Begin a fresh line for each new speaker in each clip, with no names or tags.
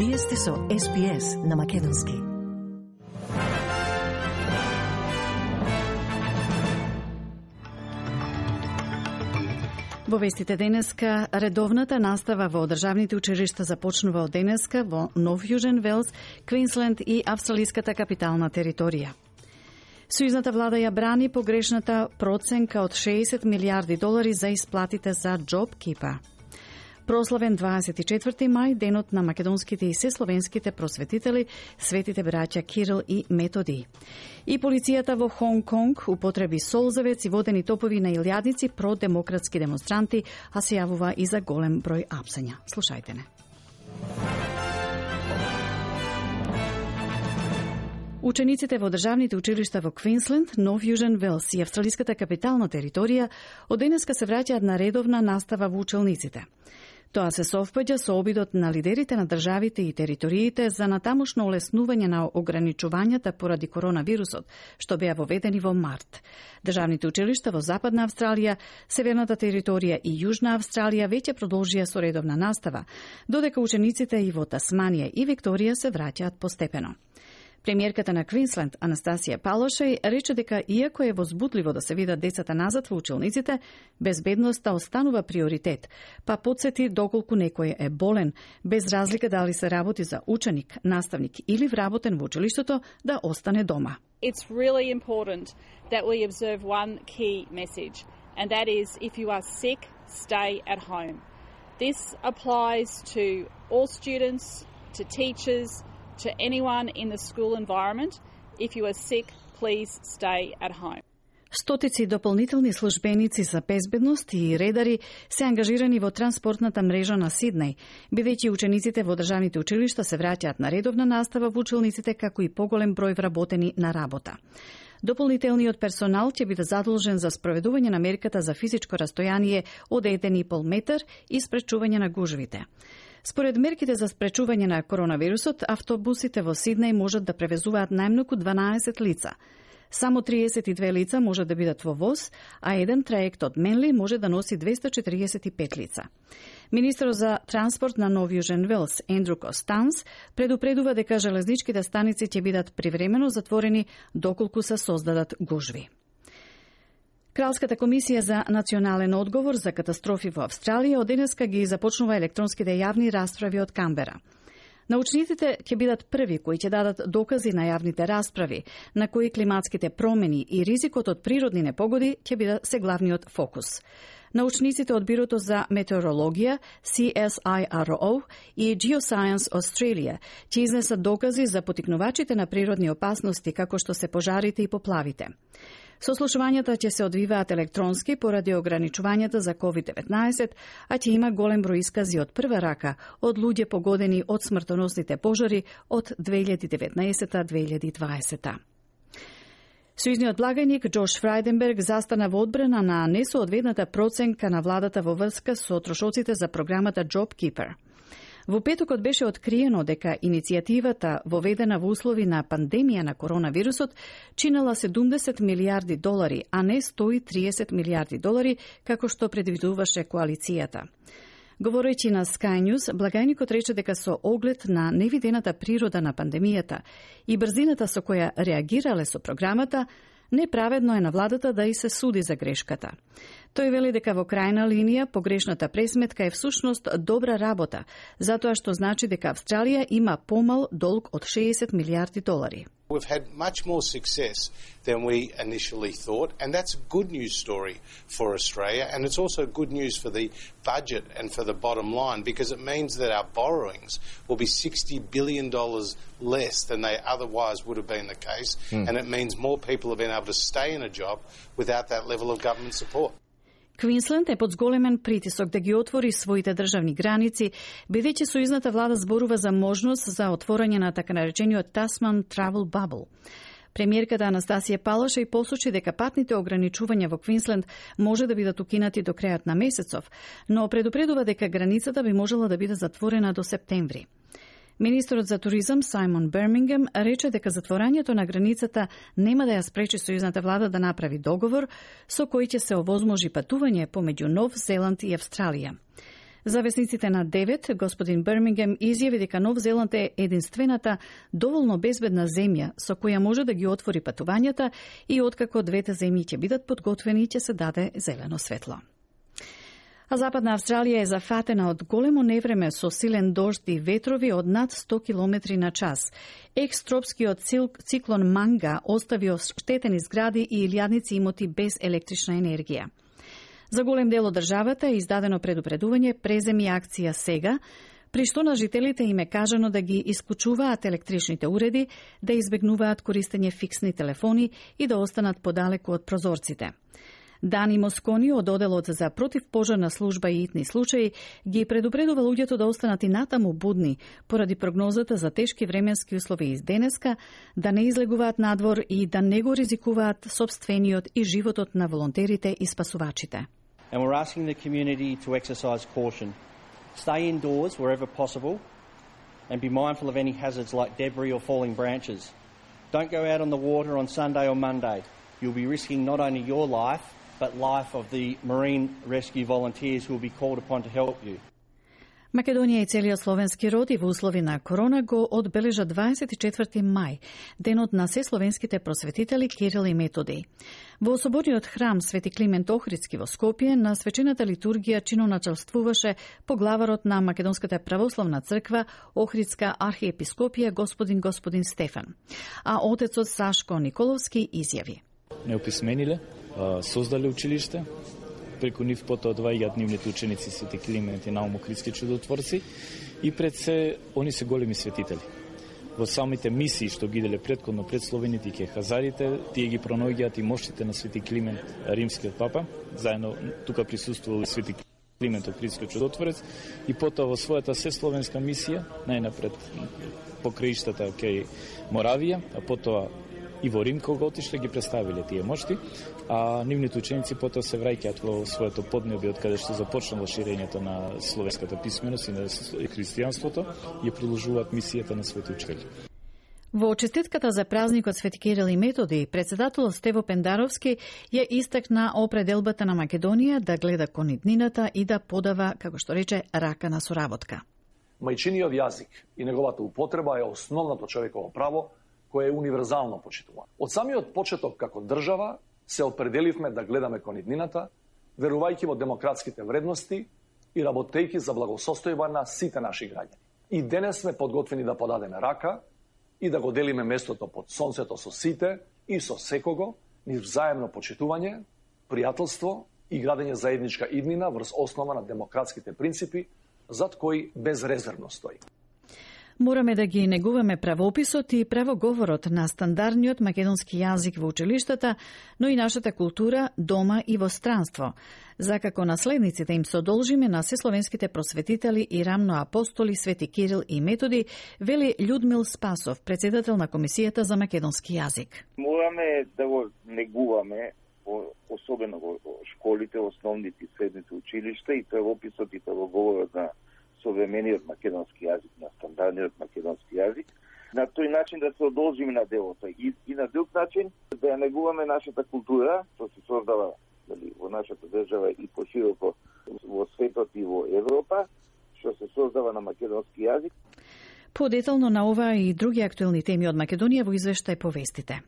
Вие сте со SPS на Македонски. Во вестите денеска, редовната настава во државните училишта започнува од денеска во Нов Јужен Велс, Квинсленд и австралиската капитална територија. Сојузната влада ја брани погрешната проценка од 60 милиарди долари за исплатите за JobKeeper. Прославен 24 мај, денот на македонските и сесловенските просветители, светите браќа Кирил и Методи. И полицијата во Хонг Конг употреби солзавец и водени топови на илјадници продемократски демонстранти, а се јавува и за голем број апсења. Слушајте не. Учениците во државните училишта во Квинсленд, Нов Јужен Велс и австралиската капитална територија од денеска се враќаат на редовна настава во училниците. Тоа се совпаѓа со обидот на лидерите на државите и териториите за натамошно олеснување на ограничувањата поради коронавирусот, што беа воведени во март. Државните училишта во Западна Австралија, Северната територија и Јужна Австралија веќе продолжија со редовна настава, додека учениците и во Тасманија и Викторија се враќаат постепено. Премиерката на Квинсленд, Анастасија Палошеј, рече дека иако е возбудливо да се видат децата назад во училниците, безбедноста останува приоритет, па потсети доколку некој е болен, без разлика дали се работи за ученик, наставник или вработен во училиштето, да остане дома.
It's really important that we observe one key message, and that is if you are sick, stay at home. This applies to all students, to teachers, to anyone in the school environment. If you are sick, please stay at home.
Стотици дополнителни службеници за безбедност и редари се ангажирани во транспортната мрежа на Сиднеј, бидејќи учениците во државните училишта се враќаат на редовна настава во училниците, како и поголем број вработени на работа. Дополнителниот персонал ќе биде задолжен за спроведување на мерката за физичко растојание од 1,5 метар и спречување на гужвите. Според мерките за спречување на коронавирусот, автобусите во Сиднеј можат да превезуваат најмногу 12 лица. Само 32 лица можат да бидат во воз, а еден траект од Менли може да носи 245 лица. Министерот за транспорт на Нов Јужен Велс, Ендрю Костанс, предупредува дека железничките станици ќе бидат привремено затворени доколку се создадат гужви. Кралската комисија за национален одговор за катастрофи во Австралија од денеска ги започнува електронските јавни расправи од Камбера. Научниците ќе бидат први кои ќе дадат докази на јавните расправи, на кои климатските промени и ризикот од природни непогоди ќе бидат се главниот фокус. Научниците од Бирото за метеорологија, CSIRO и Geoscience Australia ќе изнесат докази за поттикнувачите на природни опасности, како што се пожарите и поплавите. Сослушувањата ќе се одвиваат електронски поради ограничувањата за COVID-19, а ќе има голем број искази од прва рака од луѓе погодени од смртоносните пожари од 2019-2020. Сојузниот благајник Џош Фрајденберг застана во одбрана на несоодветната проценка на владата во врска со трошоците за програмата JobKeeper. Во петокот беше откриено дека иницијативата, воведена во услови на пандемија на коронавирусот, чинела 70 милиарди долари, а не 130 милиарди долари, како што предвидуваше коалицијата. Говорејќи на Sky News, благајникот рече дека со оглед на невидената природа на пандемијата и брзината со која реагирале со програмата, неправедно е на владата да и се суди за грешката. Тој вели дека во крајна линија погрешната пресметка е всушност добра работа, затоа што значи дека Австралија има помал долг од 60 милиарди долари.
We've had much more success than we initially thought, and that's a good news story for Australia, and it's also good news for the budget and for the bottom line, because it means that our borrowings will be $60 billion less than they otherwise would have been the case, and it means more people have been able to stay in a job without that level of government support.
Квинсленд е под зголемен притисок да ги отвори своите државни граници, бидејќи сојузната влада зборува за можност за отворање на така наречениот Tasman Travel Bubble. Премиерката Анастасија Палошеј посочи дека патните ограничувања во Квинсленд може да бидат укинати до крајот на месецов, но предупредува дека границата би можела да биде затворена до септември. Министерот за туризам Сајмон Бермингем рече дека затворањето на границата нема да ја спречи сојузната влада да направи договор со кој ќе се овозможи патување помеѓу Нов Зеланд и Австралија. За весниците на 9, господин Бирмингем изјави дека Нов Зеланд е единствената доволно безбедна земја со која може да ги отвори патувањата и откако двете земји ќе бидат подготвени ќе се даде зелено светло. А Западна Австралија е зафатена од големо невреме со силен дожд и ветрови од над 100 км на час. Екстропскиот циклон Манга остави оштетени згради и илјадници имоти без електрична енергија. За голем дел од државата е издадено предупредување преземи акција сега, при што на жителите им е кажано да ги исклучуваат електричните уреди, да избегнуваат користење фиксни телефони и да останат подалеку од прозорците. Дани Москони од Оделот за противпожарна служба и итни случаи ги предупредува луѓето да останат и натаму будни поради прогнозата за тешки временски услови из денеска, да не излегуваат надвор и да не го ризикуваат сопствениот и животот на волонтерите и спасувачите.
And we're asking the community to exercise caution. Stay indoors wherever possible and be mindful of any hazards like debris or falling branches. Don't go out on the water on Sunday or Monday. You'll be risking not only your life, but life of the marine rescue volunteers who will be called upon to help you.
Македонија и целиот словенски род и во услови на корона го одбележа 24 мај, денот на сесловенските просветители Кирил и Методи. Во соборниот храм Свети Климент Охридски во Скопје на свечената литургија чиноначалствуваше поглаварот на Македонската православна црква Охридска архиепископија господин Стефан, а отецот Сашко Николовски изјави:
Неописмениле, создале училиште, преку нив потоа одваѓаат нивните ученици Свети Климент и Наум Охридски чудотворци и пред се они се големи светители. Во самите мисии што ги деле претходно пред словените и хазарите, тие ги пронаоѓаат и моштите на Свети Климент, римскиот папа, заедно тука присуствувал Свети Климент Охридски чудотворец и потоа во својата сесловенска мисија, најнапред по краиштата кај Моравија, а потоа и во Рим кога отишле ги представиле тие мошти, а нивните ученици потоа се враќаат во своето поднебје од каде што започнало ширењето на словенската писменост и на христијанството и продолжуваат мисијата на свети учители.
Во честитката за празникот Свети Кирил и Методи, председателот Стево Пендаровски ја истакна определбата на Македонија да гледа кон иднината и да подава, како што рече, рака на соработка.
Мајчиниот јазик и неговата употреба е основното човеково право кое е универзално почитувано. Од самиот почеток како држава се определивме да гледаме кон иднината, верувајќи во демократските вредности и работејќи за благосостојба на сите наши граѓани. И денес сме подготвени да подадеме рака и да го делиме местото под сонцето со сите и со секого, низ взаемно почитување, пријателство и градење заедничка иднина врз основа на демократските принципи, зад кои безрезервно стои.
Мораме да ги негуваме правописот и правоговорот на стандардниот македонски јазик во училиштата, но и нашата култура дома и во странство. За како наследниците им се одолжиме на сесловенските просветители и рамно апостоли Свети Кирил и Методи, вели Људмил Спасов, председател на Комисијата за македонски јазик.
Мораме да го негуваме, особено во школите, основните и средните училишта и правописот и правоговорот на современиот македонски јазик, на стандардниот македонски јазик, на тој начин да се одолжиме на делото и на друг начин да ја негуваме нашата култура, што се создава во нашата држава и пошироко во светот и во Европа, што се создава на македонски јазик.
Подетално на ова и други актуелни теми од Македонија во извештај повестите.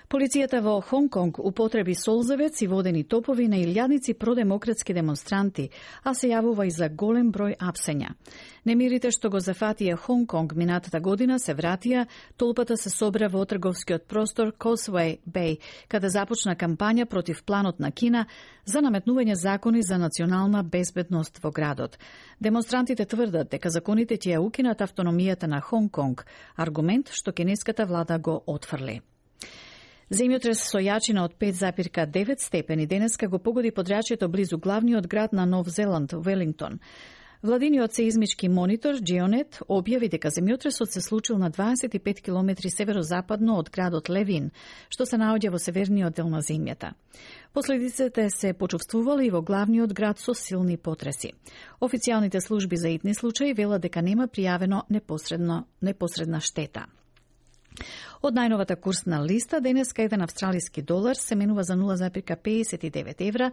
Полицијата во Хонг Конг употреби солзевец и водени топови на илјадници продемократски демонстранти, а се јавува и за голем број апсења. Немирите што го зафатија Хонг Конг минатата година се вратија, толпата се собра во трговскиот простор Causeway Bay, каде започна кампања против планот на Кина за наметнување закони за национална безбедност во градот. Демонстрантите тврдат дека законите ќе ја укинат автономијата на Хонг Конг, аргумент што кинеската влада го отфрли. Земјотрес со јачина од 5,9 степени денеска го погоди подрачјето близу главниот град на Нов Зеланд, Велингтон. Владиниот сеизмички монитор Geonet објави дека земјотресот се случил на 25 километри северозападно од градот Левин, што се наоѓа во северниот дел на земјата. Последиците се почувствували и во главниот град со силни потреси. Официјалните служби за итни случаи велат дека нема пријавено непосредна штета. Од најновата курсна листа, денеска еден австралиски долар се менува за 0,59 евра,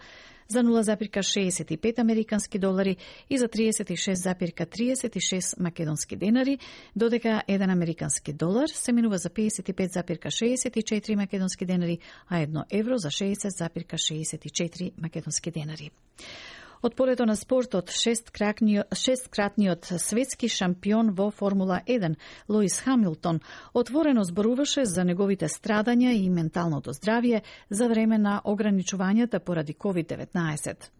за 0,65 американски долари и за 36,36 македонски денари, додека еден американски долар се менува за 55,64 македонски денари, а 1 евро за 60,64 македонски денари. Од полето на спортот, шесткратниот светски шампион во Формула 1, Луис Хамилтон, отворено зборуваше за неговите страдања и менталното здравје за време на ограничувањата поради COVID-19.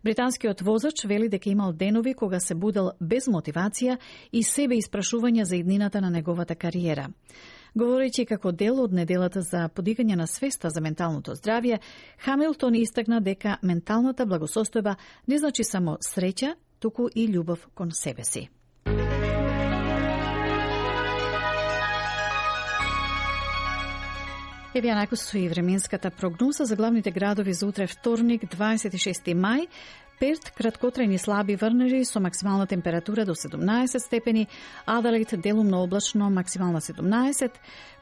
Британскиот возач вели дека имал денови кога се будел без мотивација и себе испрашувања за иднината на неговата кариера. Говорејќи како дел од неделата за подигање на свеста за менталното здравје, Хамилтон истакна дека менталната благосостојба не значи само среќа, туку и љубов кон себе си. Еве ја накусува временската прогноза за главните градови за утре вторник, 26 мај. Перт, краткотрајни слаби врнежи со максимална температура до 17 степени, Аделаид делумно облачно, максимална 17,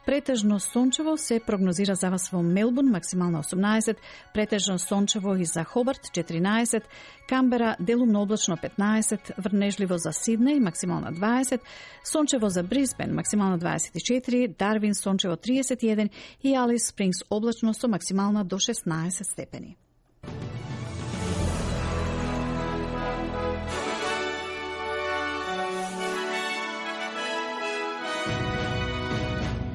претежно сончево се прогнозира за вас во Мелбурн, максимална 18, претежно сончево и за Хобарт 14, Камбера делумно облачно 15, врнежливо за Сиднеј, максимална 20, сончево за Брисбен, максимална 24, Дарвин сончево 31 и Алис Спрингс облачно со максимална до 16 степени.